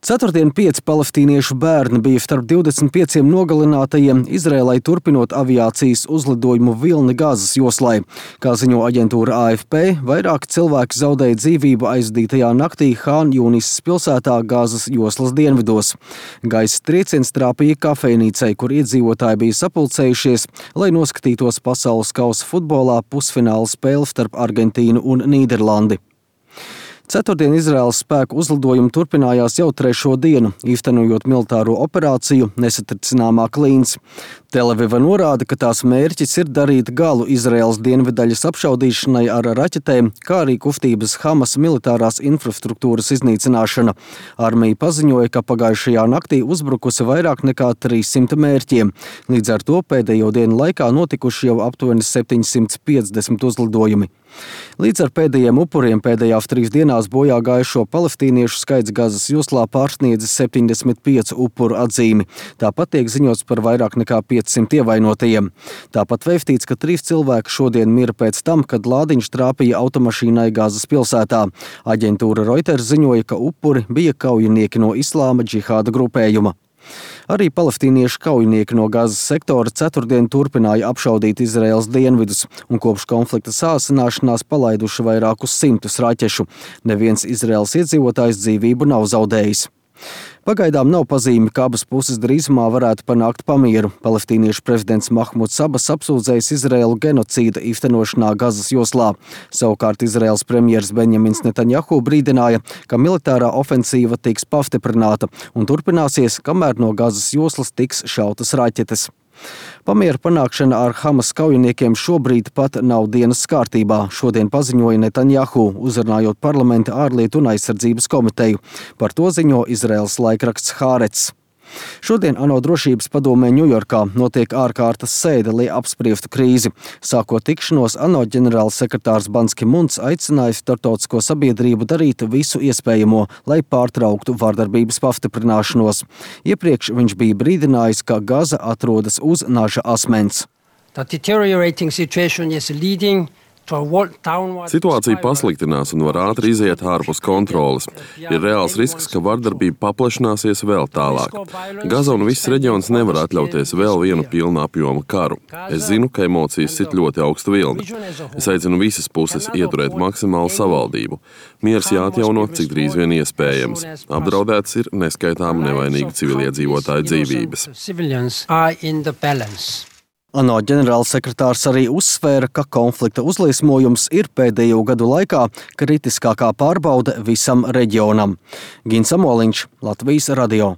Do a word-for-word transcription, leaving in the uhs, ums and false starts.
Ceturtdien pieci palestīniešu bērni bija starp divdesmit pieciem nogalinātajiem, Izrēlai turpinot aviācijas uzlidojumu vilni Gazas joslai. Kā ziņo aģentūra A F P, vairāki cilvēki zaudēja dzīvību aizdītajā naktī Hān Jūnisas pilsētā Gazas joslas dienvidos. Gaisa trieciens trāpīja kafejnīcai, kur iedzīvotāji bija sapulcējušies, lai noskatītos pasaules kausa futbolā pusfināla spēli starp Argentīnu un Nīderlandi. Ceturtdien Izraēlas spēku uzlidojumi turpinājās jau trešo dienu, īstenojot militāro operāciju Nesatricināmā klīns. Tel-Aviva norāda, ka tās mērķis ir darīt galu Izraēlas dienvidaļas apšaudīšanai ar raķetēm, kā arī kustības Hamas militārās infrastruktūras iznīcināšana. Armija paziņoja, ka pagājušajā naktī uzbrukusi vairāk nekā trīssimt mērķiem. Līdz ar to pēdējo dienu laikā notikuši jau aptuveni septiņsimt piecdesmit uzlidojumi. Līdz ar pēdējiem upuriem pēdējās trīs dienās bojā gājušo palestīniešu skaits Gazas joslā pārsniedzis septiņdesmit piecu upuru atzīmi. Tāpat tiek ziņots par vairāk nekā piecsimt ievainotajiem. Tāpat vēstīts, ka trīs cilvēki šodien mira pēc tam, kad lādiņš trāpīja automašīnai Gazas pilsētā. Aģentūra Reuters ziņoja, ka upuri bija kaujinieki no Islāma džihāda grupējuma. Arī palestīniešu kaujinieki no Gazas sektora ceturtdien turpināja apšaudīt Izraēlas dienvidus un kopš konflikta sāsināšanās palaiduši vairākus simtus raķešu. Neviens Izraēlas iedzīvotājs dzīvību nav zaudējis. Pagaidām nav pazīmi, ka abas puses drīzumā varētu panākt pamieru. Palestīniešu prezidents Mahmuds Abas apsūdzējis Izraēlu genocīda īstenošanā Gazas joslā. Savukārt Izraēlas premjers Benjamins Netanjahu brīdināja, ka militārā ofensīva tiks pastiprināta un turpināsies, kamēr no Gazas joslas tiks šautas raķetes. Pamiera panākšana ar Hamas kaujiniekiem šobrīd pat nav dienas kārtībā, šodien paziņoja Netanjahu, uzrunājot parlamenta ārlietu un aizsardzības komiteju. Par to ziņo Izraēlas laikraksts Hārets. Šodien ANO drošības padomē Ņujorkā notiek ārkārtas sēde, lai apspriestu krīzi. Sākot tikšanos, ANO ģenerāls sekretārs Bans Ki Muns aicināja starptautisko sabiedrību darīt visu iespējamo, lai pārtrauktu vardarbības pastiprināšanos. Iepriekš viņš bija brīdinājis, ka Gaza atrodas uz naža asmens. Situācija pasliktinās un var ātri iziet ārpus kontroles. Ir reāls risks, ka vardarbība paplašināsies vēl tālāk. Gaza un viss reģions nevar atļauties vēl vienu pilna apjoma karu. Es zinu, ka emocijas sit ļoti augstu vilni. Es aicinu visas puses ieturēt maksimālu savaldību. Miers jāatjauno, cik drīz vien iespējams. Apdraudēts ir neskaitāmi nevainīgi civiliedzīvotāju dzīvības. ANO ģenerālsekretārs arī uzsvēra, ka konflikta uzliesmojums ir pēdējo gadu laikā kritiskākā pārbaude visam reģionam. Gins Amoliņš, Latvijas radio.